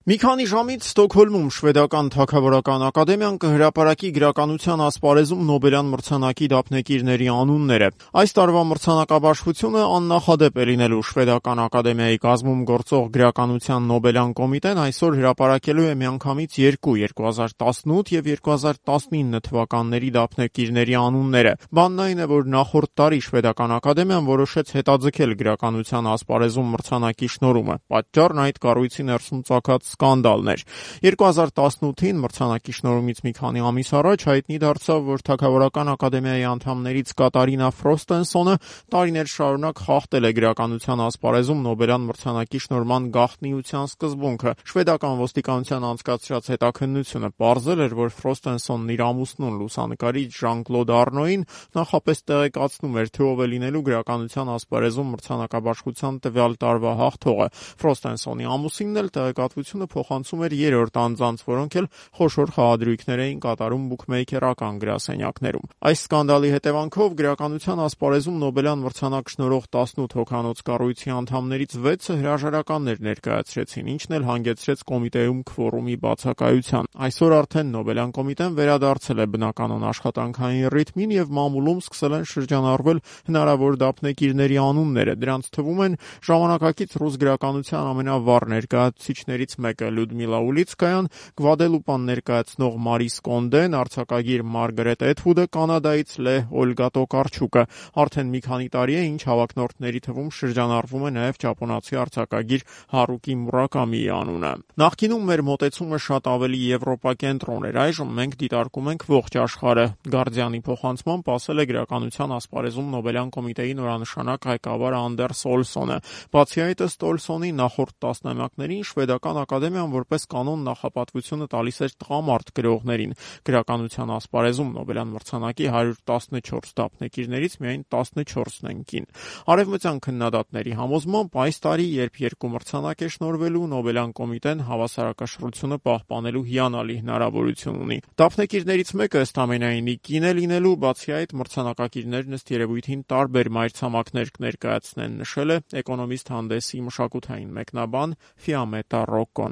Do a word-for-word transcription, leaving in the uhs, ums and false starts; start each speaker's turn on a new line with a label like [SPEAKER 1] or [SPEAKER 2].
[SPEAKER 1] Մի քանի ժամից Ստոկհոլմում շվեդական թագավորական ակադեմիան կհրապարակի գրականության ասպարեզում Նոբելյան մրցանակի դափնեկիրների անունները։ Այս տարվա մրցանակաբաշխությունը աննախադեպ է լինելու շվեդական ակադեմիայի կազմում գործող գրականության Նոբելյան կոմիտեն այսօր հրապարակելու է միանգամից երկու՝ երկու հազար տասնութ և երկու հազար տասնինը թվականների դափնեկիրների անունները։ Բանն այն է, որ նախորդ տարի շվեդական ակադեմիան որոշեց հետաձգել գրականության ասպարեզում մրցանակի շնորհումը։ Պատճառն այդ կառույցի ներսում ծագած սկանդալն էր։ երկու հազար տասնութին մրցանակի շնորհումից մի քանի ամիս առաջ հայտնի դարձավ, որ թագավորական ակադեմիայի անդամներից Կատարինա Ֆրոստենսոնը տարիներ շարունակ խախտել է գրականության ասպարեզում Նոբելյան մրցանակի շնորհման գաղտնիության սկզբունքը։ Շվեդական ոստիկանության անցկացրած հետաքննությունը պարզել էր, որ Ֆրոստենսոնն իր ամուսնուն լուսանկարիչ Ժան-Կլոդ Արնոյին նախապես տեղեկացնում էր, թե ով է լինելու գրականության ասպարեզում մրցանակաբաշխության տվյալ տարվա հաղթողը։ Ֆրոստենսոնի ամուսինն էլ տեղեկատվությունը փոխանցում էր երրորդ անձանց, որոնք էլ խոշոր խաղադրույքներ էին կատարում բուքմեյքերական գրասենյակներում։ Այս սկանդալի հետևանքով գրականության ասպարեզում Նոբելյան մրցանակ շնորհող տասնութ հոգանոց կառույցի անդամներից վեցը հրաժարականներ ներկայացրեցին, ինչն էլ հանգեցրեց կոմիտեում քվորումի բացակայության։ Այսօր արդեն Նոբելյան կոմիտեն վերադարձել է բնականոն աշխատանքային ռիթմին և մամուլում սկսել են շրջանառվել հնարավոր դափնեկիրների անունները։ Դրանց թվում են ժամանակակից ռուս գրականության ամենավառ ներկայացուցիչներից մեկը Լյուդմիլա Ուլիցկայան, Գվադելուպան ներկայացնող Մարիս Կոնդեն, արձակագիր Մարգարետ Էթվուդը, Կանադայից Լեհ Օլգա Տոկարչուկը։ Արդեն մի քանի տարի է, ինչ հավակնորդների թվում շրջանառվում է նաև ճապոնացի արձակագիր Հարուկի Մուրակամիի անունը։ Նախկինում մեր մոտեցումը շատ ավելի եվրոպակենտրոն էր, այժմ մենք դիտարկում ենք ողջ աշխարհը։ Գարդիանի փոխանցմամբ ասել է գրականության ասպարեզում Նոբելյան կոմիտեի նորանշանակ ղեկավար Անդերս Օլսոնը։ Բացի այդ, ըստ Օլսոնի, նախորդ տասնամյակներին շվեդական ակադեմիան որպես կանոն նախապատվությունը տալիս էր տղամարդ գրողներին։ Գրականության ասպարեզում Նոբելյան մրցանակի հարյուր տասնչորս դափնեկիրներից միայն տասնչորսն են կին։ Արևմտյան քննադատների համոզմամբ այս տարի, երբ երկու մրցանակ է շնորհվելու, Նոբելյան կոմիտեն հավասարակշռությունը պահպանելու հիանալի հնարավորություն ունի։ Դափնեկիրներից մեկը ըստ ամենայնի կին է լինելու, բացի այդ մրցանակակիրներն ըստ երևույթին տարբեր մայրցամաքներ կներկայացնեն, նշել է Էկոնոմիստ հանդեսի մշակութային մեկնաբան Ֆիամետա Ռոկկոն։